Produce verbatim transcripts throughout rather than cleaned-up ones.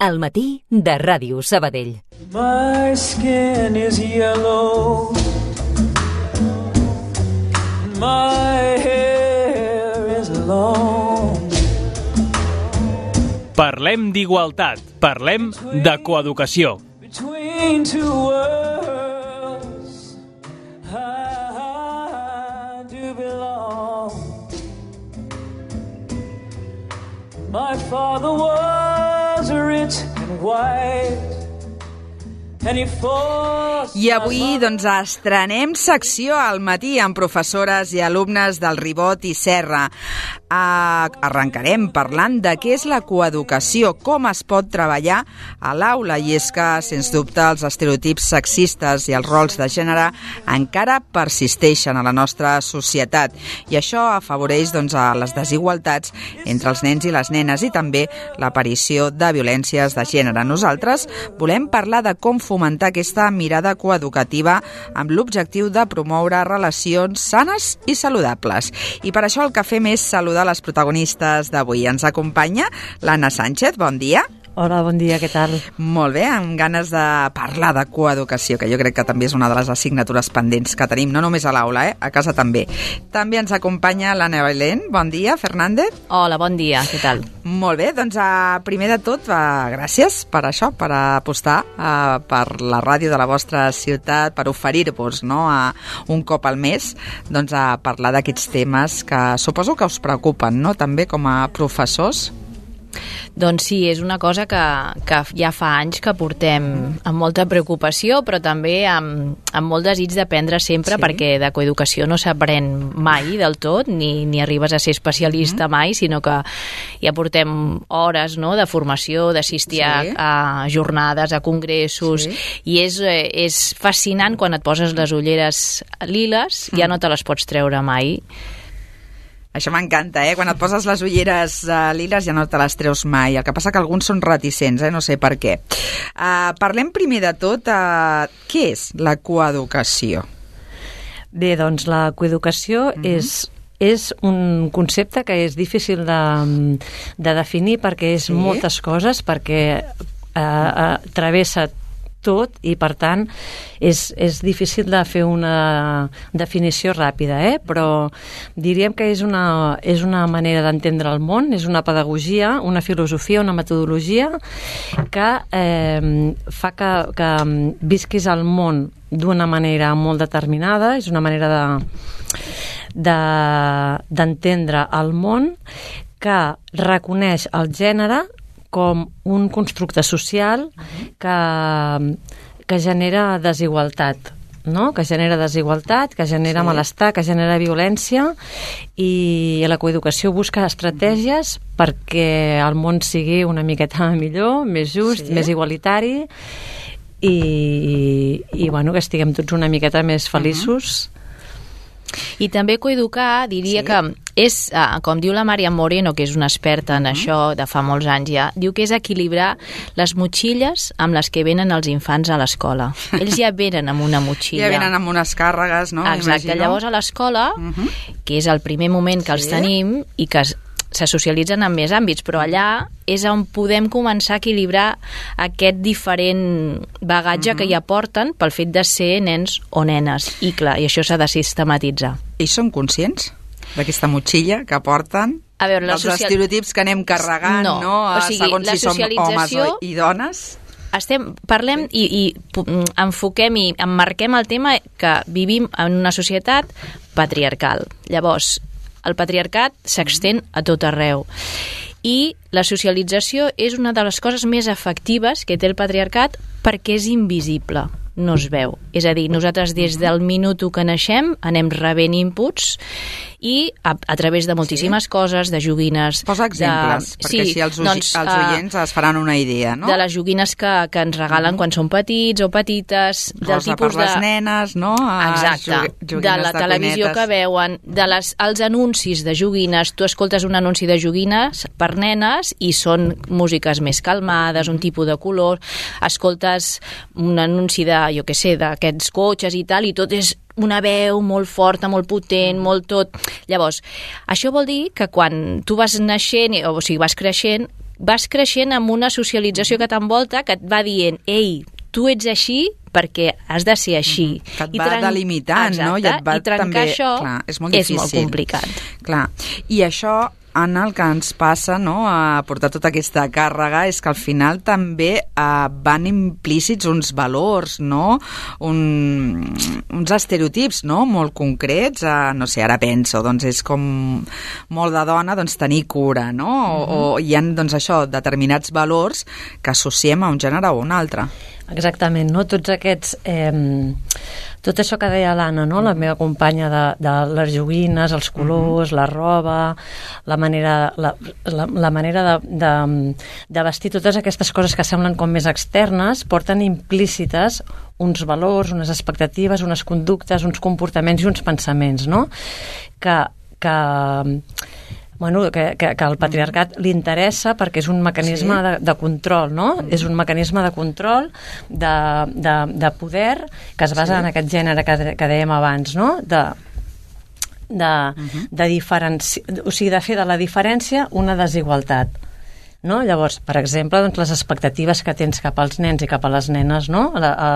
Al matí de Ràdio Sabadell. My skin is yellow. My hair is long. Parlem d'igualtat, parlem de coeducació. Between two worlds, I do belong. My father was rich and white. I avui doncs estrenem secció al matí amb professores i alumnes del Ribot i Serra. Uh, arrencarem parlant de què és la coeducació, com es pot treballar a l'aula, i és que, sens dubte, els estereotips sexistes i els rols de gènere encara persisteixen a la nostra societat, i això afavoreix doncs, a les desigualtats entre els nens i les nenes i també l'aparició de violències de gènere. Nosaltres volem parlar de com fomentar aquesta mirada coeducativa amb l'objectiu de promoure relacions sanes i saludables. I per això el que fem és saludar les protagonistes d'avui. Ens acompanya l'Anna Sánchez. Bon dia. Hola, bon dia, què tal? Molt bé, amb ganes de parlar de coeducació, que jo crec que també és una de les assignatures pendents que tenim, no només a l'aula, eh? A casa també. També ens acompanya l'Anna Belén. Bon dia, Fernández. Hola, bon dia, què tal? Molt bé, doncs uh, primer de tot, uh, gràcies per això, per apostar uh, per la ràdio de la vostra ciutat, per oferir-vos, no, uh, un cop al mes, doncs a parlar d'aquests temes que suposo que us preocupen, no?, també com a professors. Doncs sí, és una cosa que, que ja fa anys que portem amb molta preocupació, però també amb, amb molt desig d'aprendre sempre, sí. Perquè de coeducació no s'aprèn mai del tot, ni, ni arribes a ser especialista mm. mai, sinó que ja portem hores, no?, de formació, d'assistir sí. a, a jornades, a congressos, sí. I és, és fascinant quan et poses les ulleres liles, mm. ja no te les pots treure mai. Això m'encanta, eh? Quan et poses les ulleres uh, liles ja no te les treus mai. El que passa que alguns són reticents, eh? No sé per què. Uh, parlem primer de tot, uh, què és la coeducació? Bé, doncs la coeducació uh-huh. és, és un concepte que és difícil de, de definir perquè és sí. moltes coses, perquè uh, uh, travessa tot i, per tant, és, és difícil de fer una definició ràpida, eh? Però diríem que és una, és una manera d'entendre el món, és una pedagogia, una filosofia, una metodologia que eh, fa que, que visquis el món d'una manera molt determinada, és una manera de, de, d'entendre el món que reconeix el gènere com un constructe social que, que genera desigualtat, no? Que genera desigualtat, que genera sí. malestar, que genera violència, i la coeducació busca estratègies perquè el món sigui una miqueta millor, més just, sí. més igualitari, i, i bueno, que estiguem tots una miqueta més feliços. Uh-huh. I també coeducar, diria sí. que és, com diu la Maria Moreno, que és una experta en uh-huh. això de fa molts anys ja, diu que és equilibrar les motxilles amb les que venen els infants a l'escola. Ells ja venen amb una motxilla. Ja venen amb unes càrregues, no? Exacte, imagino. Llavors a l'escola, uh-huh. que és el primer moment que sí. els tenim i que se socialitzen en més àmbits, però allà és on podem començar a equilibrar aquest diferent bagatge uh-huh. que ja porten pel fet de ser nens o nenes. I clar, i això s'ha de sistematitzar. I són conscients d'aquesta motxilla que porten? A veure, els social... estereotips que anem carregant, no? no? O sigui, segons si som homes i dones? Estem, parlem i, i enfoquem i emmarquem el tema que vivim en una societat patriarcal. Llavors, el patriarcat s'extén a tot arreu. I la socialització és una de les coses més efectives que té el patriarcat perquè és invisible, no es veu. És a dir, nosaltres des del minut que naixem anem rebent inputs i a, a través de moltíssimes sí. coses, de joguines... Posa exemples, de... perquè sí, si els, doncs, els oients uh, es faran una idea, no? De les joguines que, que ens regalen mm. quan són petits o petites, del Rosa tipus per les de... nenes, no? A Exacte, de la de televisió cuinetes. que veuen, de les, els anuncis de joguines. Tu escoltes un anunci de joguines per nenes i són músiques més calmades, un tipus de color, escoltes un anunci de, jo què sé, d'aquests cotxes i tal, i tot és una veu molt forta, molt potent, molt tot. Llavors, això vol dir que quan tu vas naixent, o sigui, vas creixent, vas creixent amb una socialització que t'envolta que et va dient, ei, tu ets així perquè has de ser així. Que et I va tren... delimitant, Exacte, no? I et va i trencar també... això Clar, és molt difícil. és molt complicat. Clar. I això, Anna, el que ens passa, no?, a portar tota aquesta càrrega és que al final també eh, van implícits uns valors, no?, Un, uns estereotips, no?, molt concrets. Eh, no sé, ara penso, doncs és com molt de dona, doncs tenir cura, no? O, Mhm. o hi ha, doncs això, determinats valors que associem a un gènere o un altre. Exactament, no? Tots aquests... Eh, tot això que deia l'Anna, no? La meva companya de, de les joguines, els colors, la roba, la manera, la, la, la manera de, de, de vestir, totes aquestes coses que semblen com més externes, porten implícites uns valors, unes expectatives, unes conductes, uns comportaments i uns pensaments, no? Que... que Bueno, que, que, que al patriarcat li interessa perquè és un mecanisme sí. de, de control, no? Mm. És un mecanisme de control, de, de, de poder, que es basa sí. en aquest gènere que, que dèiem abans, no? De, de, uh-huh. de diferenci... o sigui, de fer de la diferència una desigualtat. No? Llavors, per exemple, doncs, les expectatives que tens cap als nens i cap a les nenes, no? A, a,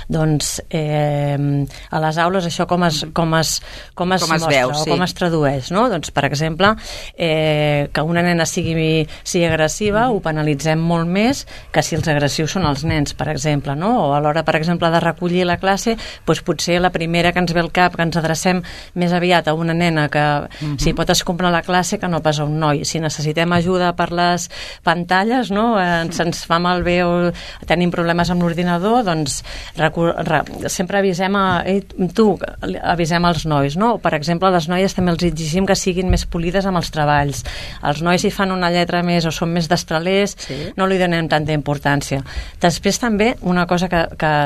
doncs, eh, a les aules això com es, com es, com es, com es mostra veu, o sí. com es tradueix, no? Doncs, per exemple, eh, que una nena sigui, sigui agressiva mm. ho penalitzem molt més que si els agressius són els nens, per exemple, no? O a l'hora, per exemple, de recollir la classe, doncs potser la primera que ens ve al cap, que ens adrecem més aviat a una nena que mm-hmm. si pot escombrar la classe que no pas a un noi. Si necessitem ajuda per les pantalles, no? Ens, ens fa malbé o tenim problemes amb l'ordinador, doncs recu- re, sempre avisem a ei, tu, avisem als nois, no? Per exemple, a les noies també els exigim que siguin més polides amb els treballs. Els nois si fan una lletra més o són més destralers, sí. no li donem tanta importància. Després també una cosa que, que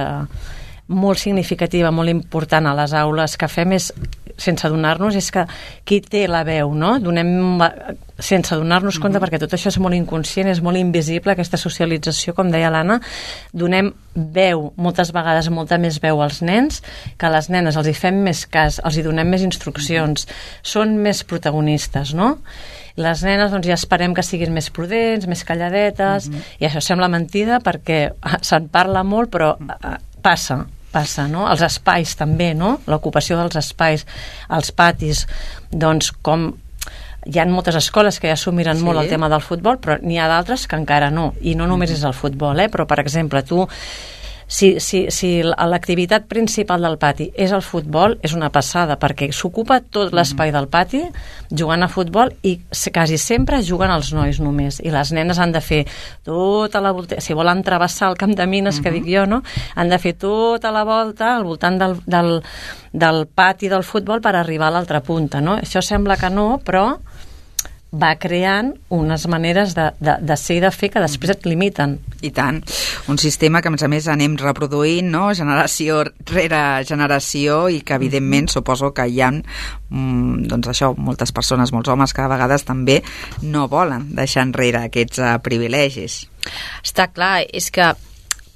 molt significativa, molt important a les aules que fem és, sense adonar-nos, és que qui té la veu, no? Donem, sense adonar-nos compte, mm-hmm. perquè tot això és molt inconscient, és molt invisible, aquesta socialització, com deia l'Anna, donem veu, moltes vegades molta més veu als nens, que a les nenes els hi fem més cas, els hi donem més instruccions, mm-hmm. són més protagonistes, no? Les nenes doncs ja esperem que siguin més prudents, més calladetes, mm-hmm. i això sembla mentida perquè se'n parla molt, però passa, passa, no? Els espais també, no? L'ocupació dels espais, els patis, doncs com hi ha moltes escoles que ja s'ho miren sí. molt el tema del futbol, però n'hi ha d'altres que encara no, i no només és el futbol, eh? Però per exemple, tu si, si, si l'activitat principal del pati és el futbol, és una passada, perquè s'ocupa tot l'espai del pati jugant a futbol i quasi sempre juguen els nois només, i les nenes han de fer tota la volta, si volen travessar el camp de mines, uh-huh. que dic jo, no? Han de fer tota la volta al voltant del, del, del pati del futbol per arribar a l'altra punta, no? Això sembla que no, però va creant unes maneres de, de, de ser i de fer que després et limiten. I tant. Un sistema que, a més a més, anem reproduint, no?, generació rere generació, i que, evidentment, suposo que hi ha, mm, doncs això, moltes persones, molts homes, que a vegades també no volen deixar enrere aquests uh, privilegis. Està clar, és que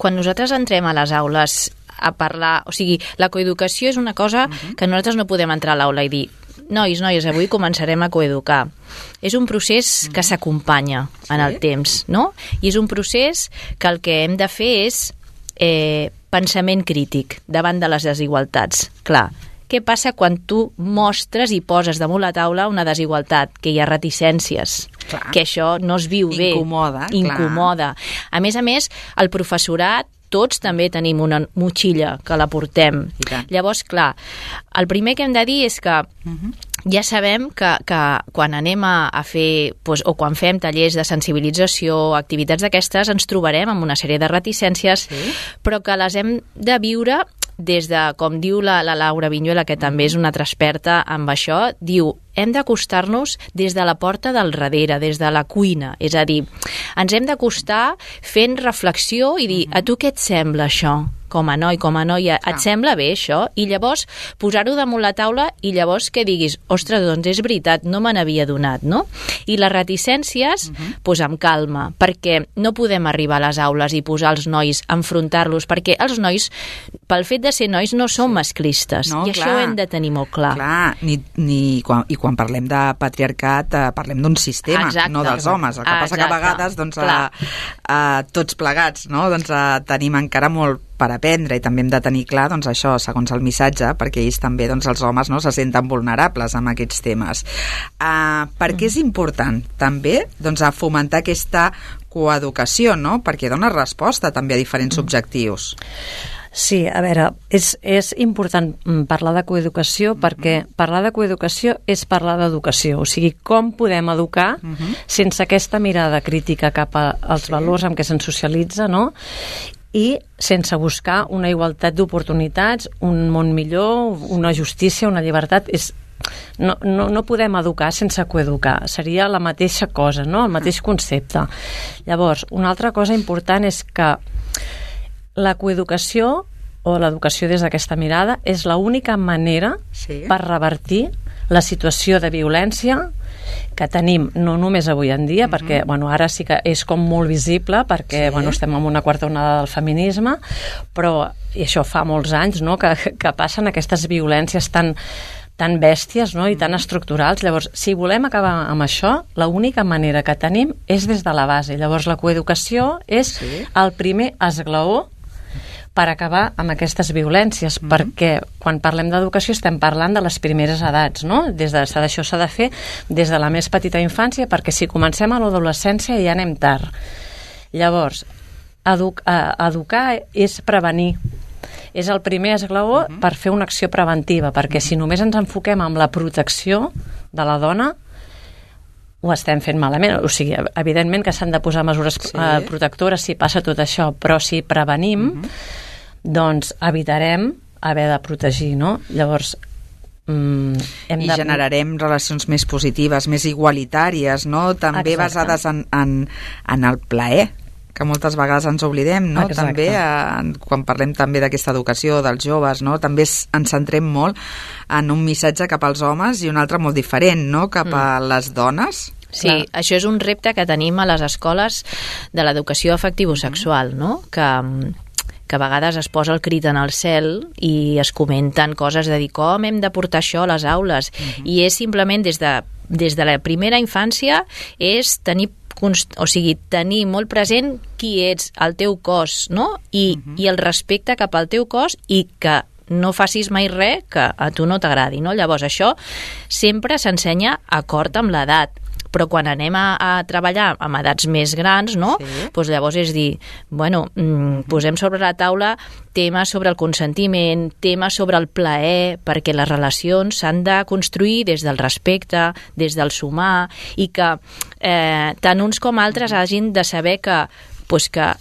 quan nosaltres entrem a les aules a parlar, o sigui, la coeducació és una cosa uh-huh. que nosaltres no podem entrar a l'aula i dir nois, noies, avui començarem a coeducar. És un procés que s'acompanya en el temps, no? I és un procés que el que hem de fer és eh, pensament crític davant de les desigualtats. Clar, què passa quan tu mostres i poses damunt la taula una desigualtat, que hi ha reticències, clar. Que això no es viu bé. Incomoda, Incomoda. Clar. A més a més, el professorat tots també tenim una motxilla que la portem. Llavors, clar, el primer que hem de dir és que uh-huh. ja sabem que, que quan anem a, a fer, doncs, o quan fem tallers de sensibilització, activitats d'aquestes, ens trobarem amb una sèrie de reticències, sí. però que les hem de viure des de, com diu la, la Laura Viñuela, que també és una altra experta amb això, diu, hem d'acostar-nos des de la porta del darrere, des de la cuina. És a dir, ens hem d'acostar fent reflexió i dir, a tu què et sembla això? com a noi, com a noia, et sembla bé això? I llavors posar-ho damunt la taula i llavors que diguis, ostres, doncs és veritat, no me n'havia donat, no? I les reticències, uh-huh. pues amb calma, perquè no podem arribar a les aules i posar els nois, enfrontar-los, perquè els nois, pel fet de ser nois, no són masclistes, no, i clar, això ho hem de tenir molt clar. Clar, ni, ni quan, i quan parlem de patriarcat eh, parlem d'un sistema, exacte, no dels homes. El que passa exacte, que a vegades doncs, a, a, tots plegats no? doncs, a, tenim encara molt per aprendre i també hem de tenir clar doncs, això, segons el missatge, perquè ells també, doncs, els homes no, se senten vulnerables amb aquests temes. Uh, per què és important també doncs, a fomentar aquesta coeducació, no? Perquè dona resposta també a diferents objectius. Sí, a veure, és, és important parlar de coeducació perquè parlar de coeducació és parlar d'educació, o sigui, com podem educar uh-huh. sense aquesta mirada crítica cap als sí. valors amb què se'ns socialitza, no? I sense buscar una igualtat d'oportunitats, un món millor, una justícia, una llibertat. És, no, no, no podem educar sense coeducar, seria la mateixa cosa, no? El mateix concepte. Llavors, una altra cosa important és que la coeducació o l'educació des d'aquesta mirada és l'única manera sí. per revertir la situació de violència que tenim no només avui en dia, uh-huh. perquè bueno, ara sí que és com molt visible perquè sí. bueno, estem en una quarta onada del feminisme, però i això fa molts anys no, que, que passen aquestes violències tan, tan bèsties no, i tan estructurals. Llavors, si volem acabar amb això, l'única manera que tenim és des de la base. Llavors, la coeducació és sí. el primer esglaó per acabar amb aquestes violències, mm-hmm. perquè quan parlem d'educació estem parlant de les primeres edats, no? Des de, això s'ha de fer des de la més petita infància, perquè si comencem a l'adolescència ja anem tard. Llavors, edu educar és prevenir. És el primer esglaó mm-hmm. per fer una acció preventiva, perquè mm-hmm. si només ens enfoquem en la protecció de la dona, ho estem fent malament. O sigui, evidentment que s'han de posar mesures sí. eh, protectores si passa tot això, però si prevenim, mm-hmm. doncs evitarem haver de protegir, no? Llavors, mm, hem I de... generarem relacions més positives, més igualitàries, no? També Exacte. basades en, en, en el plaer, que moltes vegades ens oblidem, no? Exacte. També, eh, quan parlem també d'aquesta educació dels joves, no? També ens centrem molt en un missatge cap als homes i un altre molt diferent, no? Cap mm. a les dones. Sí, Clar. Això és un repte que tenim a les escoles de l'educació afectivo-sexual, no? Que, que a vegades es posa el crit en el cel i es comenten coses de dir com hem de portar això a les aules. Uh-huh. I és simplement des de, des de la primera infància és tenir o sigui, tenir molt present qui ets, el teu cos, no? I, uh-huh. i el respecte cap al teu cos i que no facis mai res que a tu no t'agradi, no? Llavors això sempre s'ensenya acord amb l'edat, però quan anem a, a treballar amb edats més grans, no? Sí. Pues llavors és dir, bueno, mm, posem sobre la taula temes sobre el consentiment, temes sobre el plaer, perquè les relacions s'han de construir des del respecte, des del sumar, i que eh, tant uns com altres hagin de saber que pues que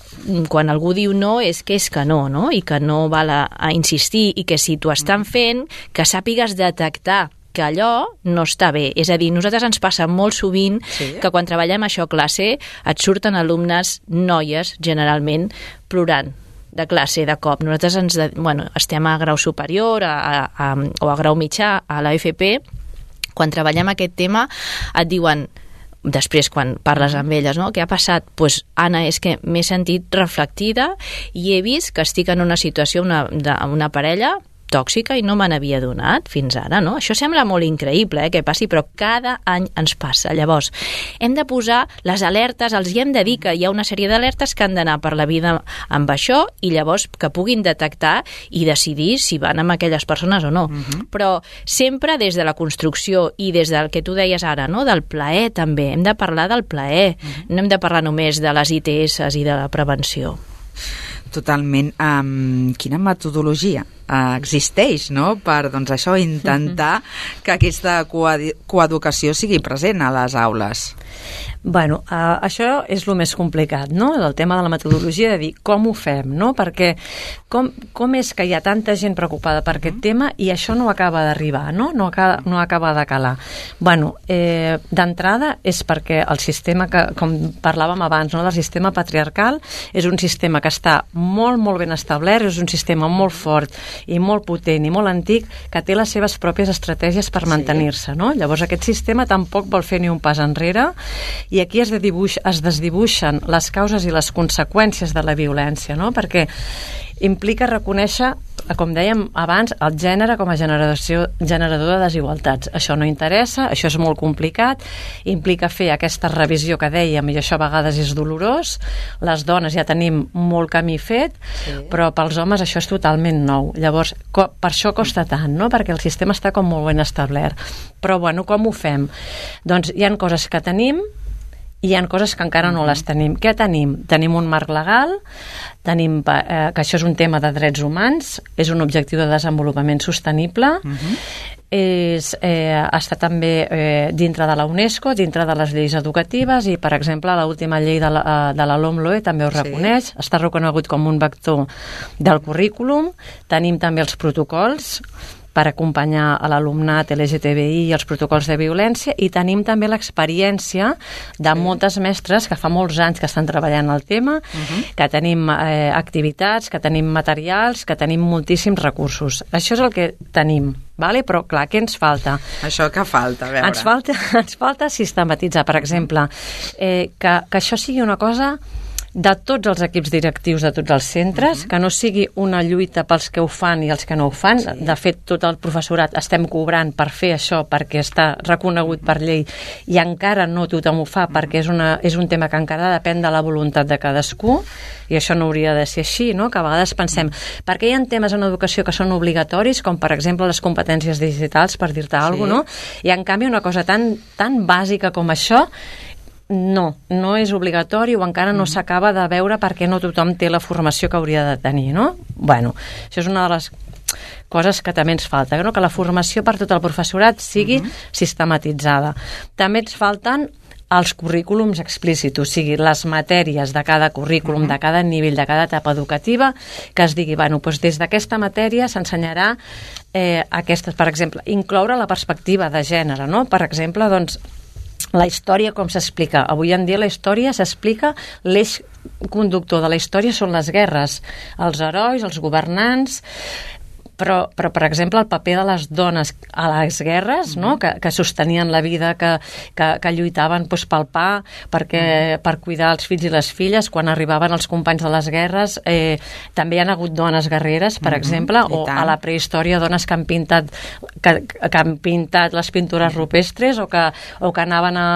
quan algú diu no és que és que no, no? I que no val a, a insistir, i que si t'ho estan fent, que sàpigues detectar que allò no està bé. És a dir, nosaltres ens passa molt sovint sí. que quan treballem això a classe et surten alumnes noies, generalment, plorant de classe, de cop. Nosaltres ens, bueno, estem a grau superior a, a, a, o a grau mitjà a l'A F P. Quan treballem aquest tema et diuen, després quan parles amb elles, no? Què ha passat? Doncs, pues, Anna, és que m'he sentit reflectida i he vist que estic en una situació, una, de, una parella tòxica i no me n'havia donat fins ara, no? Això sembla molt increïble, eh, que passi, però cada any ens passa. Llavors, hem de posar les alertes, els hi hem de dir que hi ha una sèrie d'alertes que han d'anar per la vida amb això i llavors que puguin detectar i decidir si van amb aquelles persones o no. Uh-huh. Però sempre des de la construcció i des del que tu deies ara, no? Del plaer també. Hem de parlar del plaer. Uh-huh. No hem de parlar només de les I T S i de la prevenció. Totalment. Um, quina metodologia uh, existeix, no?, per, doncs, això, intentar uh-huh. que aquesta coeducació sigui present a les aules? Bueno, uh, això és el més complicat, no? El tema de la metodologia, de dir com ho fem, no? Perquè com, com és que hi ha tanta gent preocupada per aquest tema i això no acaba d'arribar, no? No acaba, no acaba de calar. Bueno, eh, d'entrada és perquè el sistema, que, com parlàvem abans, no? El sistema patriarcal és un sistema que està molt, molt ben establert, és un sistema molt fort i molt potent i molt antic que té les seves pròpies estratègies per mantenir-se, no? Llavors aquest sistema tampoc vol fer ni un pas enrere i aquí es, dibuix, es desdibuixen les causes i les conseqüències de la violència, no? Perquè implica reconèixer, com dèiem abans, el gènere com a generació, generador de desigualtats. Això no interessa, això és molt complicat, implica fer aquesta revisió que dèiem, i això a vegades és dolorós. Les dones ja tenim molt camí fet, sí. Però pels homes això és totalment nou. Llavors, per això costa tant, no? Perquè el sistema està com molt ben establert. Però, bueno, com ho fem? Doncs hi ha coses que tenim, i hi ha coses que encara no les tenim. Què tenim? Tenim un marc legal, tenim eh, que això és un tema de drets humans, és un objectiu de desenvolupament sostenible, uh-huh. és, eh, està també eh, dintre de la UNESCO, dintre de les lleis educatives i, per exemple, l'última llei de la, de la LOMLOE també ho reconeix, sí. Està reconegut com un vector del currículum, tenim també els protocols per acompanyar a l'alumnat L G T B I i els protocols de violència, i tenim també l'experiència de moltes mestres que fa molts anys que estan treballant el tema, uh-huh. que tenim eh, activitats, que tenim materials, que tenim moltíssims recursos. Això és el que tenim, vale? Però clar, què ens falta? Això que falta, a veure. Ens falta, ens falta sistematitzar, per exemple, eh, que, que això sigui una cosa de tots els equips directius de tots els centres, uh-huh. que no sigui una lluita pels que ho fan i els que no ho fan. Sí. De fet, tot el professorat estem cobrant per fer això perquè està reconegut per llei i encara no tothom ho fa, uh-huh. perquè és, una, és un tema que encara depèn de la voluntat de cadascú, i això no hauria de ser així, no? Que a vegades pensem, uh-huh. perquè hi ha temes en educació que són obligatoris, com per exemple les competències digitals, per dir-te sí. alguna cosa, no? I en canvi una cosa tan, tan bàsica com això no, no és obligatori o encara no s'acaba de veure perquè no tothom té la formació que hauria de tenir, no? Bueno, això és una de les coses que també ens falta, no? Que la formació per tot el professorat sigui uh-huh. sistematitzada. També ens falten els currículums explícits, o sigui, les matèries de cada currículum, uh-huh. de cada nivell, de cada etapa educativa, que es digui, bueno, doncs des d'aquesta matèria s'ensenyarà eh, aquestes, per exemple, incloure la perspectiva de gènere, no? Per exemple, doncs, la història com s'explica. Avui en dia la història s'explica, l'eix conductor de la història són les guerres, els herois, els governants, però, però per exemple, el paper de les dones a les guerres, no? que, que sostenien la vida, que, que, que lluitaven doncs, pel pa, perquè, per cuidar els fills i les filles, quan arribaven els companys de les guerres, eh, també hi ha hagut dones guerreres, per mm-hmm, exemple, o a la prehistòria dones que han pintat, que, que han pintat les pintures rupestres, o que, o que anaven a,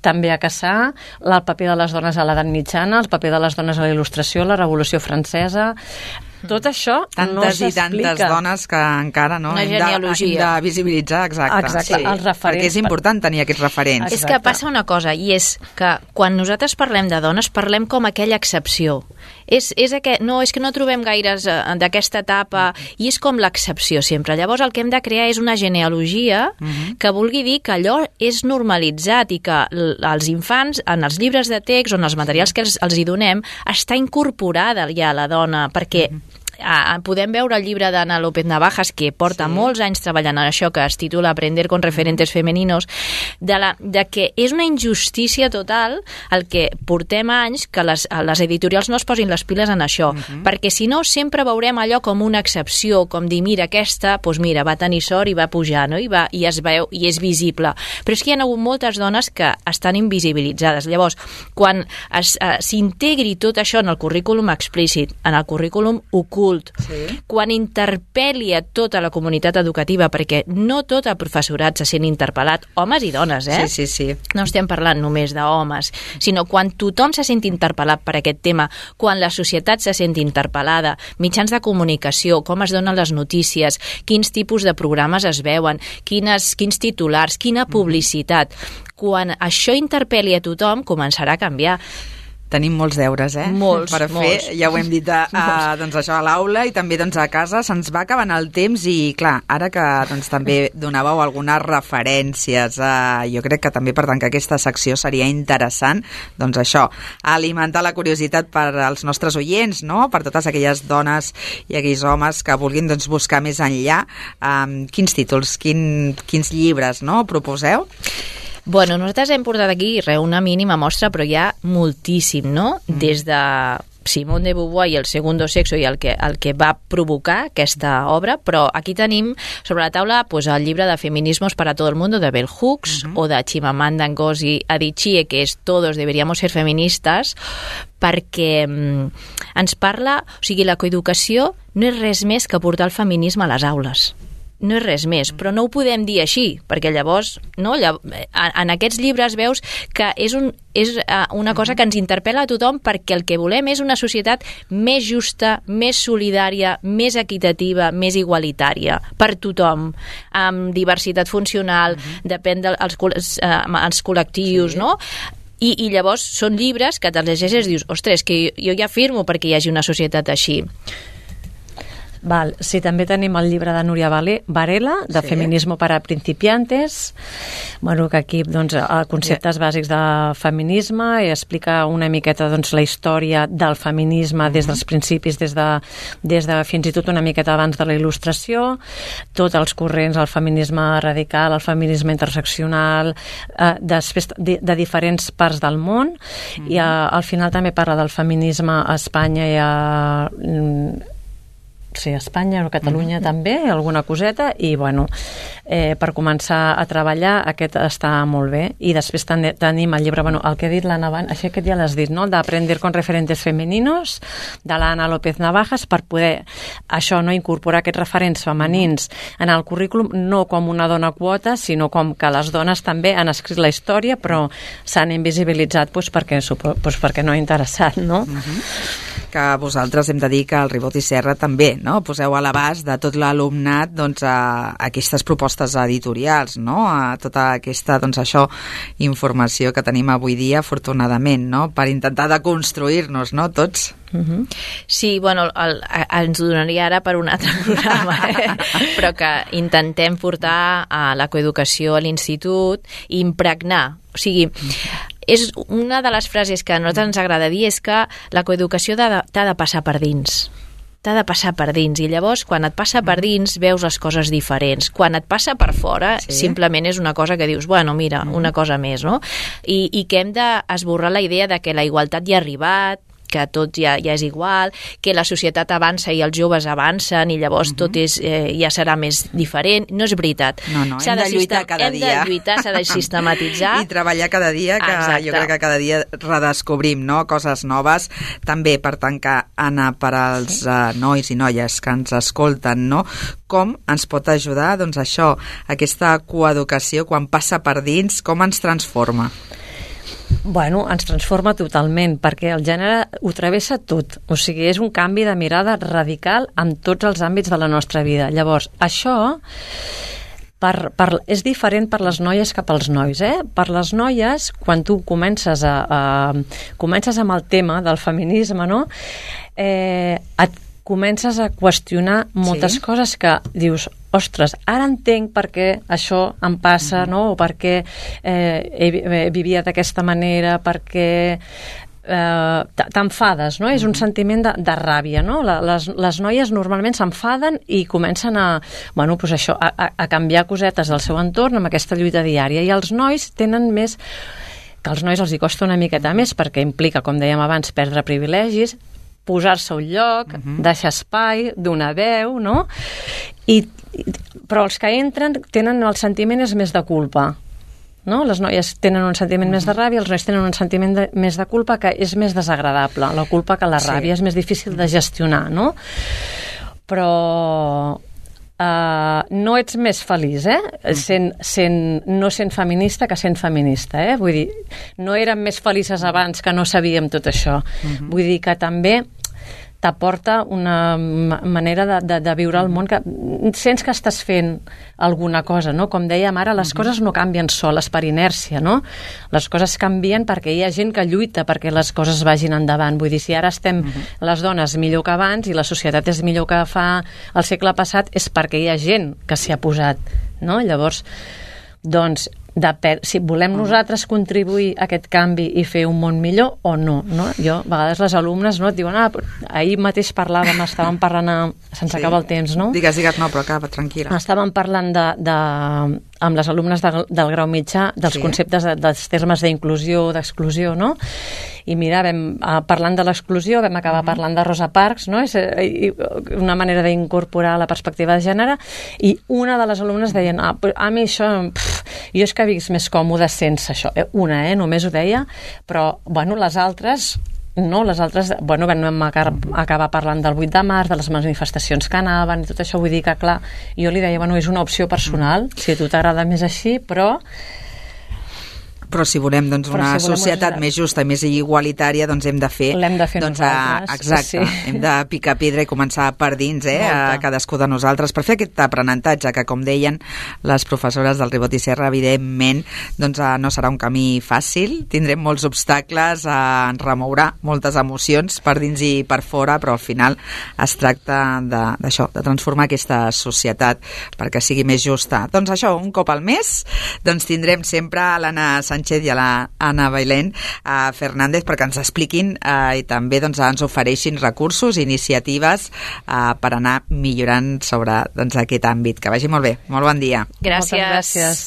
també a caçar, el paper de les dones a l'edat mitjana, el paper de les dones a la il·lustració, la Revolució Francesa. Tot això tantes no s'explica. Tantes i tantes dones que encara no Una hem de, hem de visibilitzar, exacte. Exacte, sí. els referents. Perquè és important tenir aquests referents. Exacte. És que passa una cosa, i és que quan nosaltres parlem de dones, parlem com aquella excepció. És, és aquest, no, és que no trobem gaires uh, d'aquesta etapa, i és com l'excepció sempre. Llavors el que hem de crear és una genealogia uh-huh. que vulgui dir que allò és normalitzat i que l- els infants, en els llibres de text o en els materials que els, els hi donem, està incorporada ja la dona, perquè uh-huh. Ah, podem veure el llibre d'Anna López Navajas, que porta sí. molts anys treballant en això, que es titula Aprender con referentes femeninos, de, la, de que és una injustícia total el que portem anys que les, les editorials no es posin les piles en això, uh-huh. perquè si no sempre veurem allò com una excepció, com dir, mira, aquesta, doncs mira, va tenir sort i va pujar, no? I, va, i es veu, i és visible. Però és que hi ha hagut moltes dones que estan invisibilitzades. Llavors, quan es, eh, s'integri tot això en el currículum explícit, en el currículum ocult, sí. quan interpel·li a tota la comunitat educativa, perquè no tot el professorat se sent interpel·lat, homes i dones, eh? Sí, sí, sí. No estem parlant només d'homes, sinó quan tothom se sent interpel·lat per aquest tema, quan la societat se sent interpel·lada, mitjans de comunicació, com es donen les notícies, quins tipus de programes es veuen, quines, quins titulars, quina publicitat. Quan això interpel·li a tothom, començarà a canviar. Tenim molts deures, eh? Molts, per fer, molts. ja ho hem dit a, a, doncs això, a l'aula i també doncs, a casa. Se'ns va acabant el temps i, clar, ara que doncs, també donàveu algunes referències, eh, jo crec que també, per tant, que aquesta secció seria interessant, doncs això, alimentar la curiositat per als nostres oients, no?, per totes aquelles dones i aquells homes que vulguin doncs, buscar més enllà. Um, quins títols, quin, quins llibres, no?, proposeu? Bueno, nosaltres hem portat aquí re, una mínima mostra, però hi ha moltíssim, no? Mm. Des de Simone de Beauvoir i el Segundo Sexo i el que, el que va provocar aquesta obra, però aquí tenim sobre la taula pues, el llibre de Feminismos para todo el mundo de Bell Hooks, uh-huh. o de Chimamanda Ngozi Adichie, que és Todos deberíamos ser feministas, perquè mm, ens parla, o sigui, la coeducació no és res més que portar el feminisme a les aules. No és res més, però no ho podem dir així, perquè llavors, no, en aquests llibres veus que és, un, és una cosa que ens interpel·la a tothom, perquè el que volem és una societat més justa, més solidària, més equitativa, més igualitària, per tothom, amb diversitat funcional, uh-huh. depèn dels els col·lectius, sí. no? I, I llavors són llibres que te'ls llegeixes i dius, ostres, que jo ja firmo perquè hi hagi una societat així. Val, sí, també tenim el llibre de Núria Varela, de sí. Feminismo para principiantes, bueno, que aquí doncs, conceptes sí. bàsics de feminisme i explica una miqueta doncs, la història del feminisme uh-huh. des dels principis, des de, des de fins i tot una miqueta abans de la il·lustració, tots els corrents, el feminisme radical, el feminisme interseccional, eh, després de, de diferents parts del món, uh-huh. i eh, al final també parla del feminisme a Espanya i a... sí, a Espanya o a Catalunya mm-hmm. també, alguna coseta, i bueno, eh, per començar a treballar aquest està molt bé. I després ten tenim el llibre, bueno, el que ha dit l'Anna Van, això que ja l'has dit, no?, d'Aprender con referentes femeninos, de l'Anna López Navajas, per poder, això, no, incorporar aquests referents femenins en el currículum, no com una dona quota, sinó com que les dones també han escrit la història, però s'han invisibilitzat doncs, perquè, doncs, perquè no ha interessat, no? Mm-hmm. Que vosaltres hem de dir que el Ribot i Serra també, no?, poseu a l'abast de tot l'alumnat doncs, a, a aquestes propostes editorials, no?, a tota aquesta doncs, això, informació que tenim avui dia, afortunadament, no?, per intentar deconstruir-nos, no?, tots. Uh-huh. Sí, bueno, el, el, ens ho donaria ara per un altre programa, eh? Però que intentem portar a la coeducació a l'institut i impregnar, o sigui, és una de les frases que a nosaltres ens agrada dir és que la coeducació t'ha de, t'ha de passar per dins. T'ha de passar per dins, i llavors quan et passa per dins veus les coses diferents. Quan et passa per fora, sí. simplement és una cosa que dius, bueno, mira, una cosa més, no? I, i que hem d'esborrar la idea de que la igualtat ja ha arribat, que tot ja, ja és igual, que la societat avança i els joves avancen i llavors uh-huh. tot és, eh, ja serà més diferent. No és veritat. No, no, hem de, de lluitar cada hem dia. Hem de lluitar, s'ha de sistematitzar. I treballar cada dia, que Exacte. Jo crec que cada dia redescobrim, no?, coses noves. També, per tant, que, Anna, per als uh, nois i noies que ens escolten, no?, com ens pot ajudar, doncs això, aquesta coeducació, quan passa per dins, com ens transforma? Bueno, ens transforma totalment, perquè el gènere ho travessa tot. O sigui, és un canvi de mirada radical en tots els àmbits de la nostra vida. Llavors, això per, per, és diferent per les noies que pels nois. Eh? Per les noies, quan tu comences, a, a, comences amb el tema del feminisme, no? eh, et comences a qüestionar moltes sí. coses que dius, ostres, ara entenc per què això em passa, uh-huh. no? O per què eh, he, vivia d'aquesta manera, per què eh, t'enfades, no? Uh-huh. És un sentiment de, de ràbia, no? Les, les noies normalment s'enfaden i comencen a, bueno, pues això, a, a canviar cosetes del seu entorn amb aquesta lluita diària. I els nois tenen més, que als nois els hi costa una miqueta més, perquè implica, com dèiem abans, perdre privilegis, posar-se a un lloc, uh-huh. deixar espai, donar veu, no? I, però els que entren tenen el sentiment és més de culpa, no? Les noies tenen un sentiment uh-huh. més de ràbia, els nois tenen un sentiment de, més de culpa, que és més desagradable. La culpa que la ràbia sí. és més difícil de gestionar, no? Però Uh, no ets més feliç, eh? Sent, sent, no sent feminista que sent feminista, eh? Vull dir, no érem més felices abans que no sabíem tot això. Uh-huh. Vull dir que també t'aporta una manera de, de, de viure el món que sents que estàs fent alguna cosa, no? Com dèiem ara, les coses no canvien soles per inèrcia, no? Les coses canvien perquè hi ha gent que lluita perquè les coses vagin endavant. Vull dir, si ara estem les dones millor que abans i la societat és millor que fa el segle passat, és perquè hi ha gent que s'hi ha posat, no? Llavors, doncs, depèn, si volem nosaltres contribuir a aquest canvi i fer un món millor o no, no? Jo, a vegades les alumnes no, et diuen, ah, ahir mateix parlàvem, estàvem parlant, a... se'ns sí. acaba el temps, no? Digues, digues, no, però acaba, tranquil·la. Estàvem parlant de, de, amb les alumnes de, del grau mitjà dels sí. conceptes, de, dels termes d'inclusió, d'exclusió, no? I mira, vam, parlant de l'exclusió, vam acabar mm-hmm. parlant de Rosa Parks, no? És una manera d'incorporar la perspectiva de gènere, i una de les alumnes deien, ah, a mi això, pff, jo és que visc més còmode sense això. Una, eh? Només ho deia, però, bueno, les altres... No, les altres, bueno, vam acabar parlant del vuit de març, de les manifestacions que anaven i tot això, vull dir que, clar, jo li deia, bueno, és una opció personal, si a tu t'agrada més així, però... Però si volem doncs, una si volem societat una... més justa i més igualitària, doncs hem de fer... L'hem de fer doncs, nosaltres. A, exacte, sí. Hem de picar pedra i començar per dins, eh, a cadascú de nosaltres, per fer aquest aprenentatge que, com deien les professores del Ribot i Serra, evidentment doncs, no serà un camí fàcil, tindrem molts obstacles, eh, ens remourà moltes emocions per dins i per fora, però al final es tracta d'això, de, de transformar aquesta societat perquè sigui més justa. Doncs això, un cop al mes, doncs tindrem sempre a l'Anna Sánchez i a l'Anna Bailén a Fernández perquè ens expliquin eh, i també doncs, ens ofereixin recursos, iniciatives eh, per anar millorant sobre doncs, aquest àmbit. Que vagi molt bé. Molt bon dia. Gràcies. Moltes gràcies.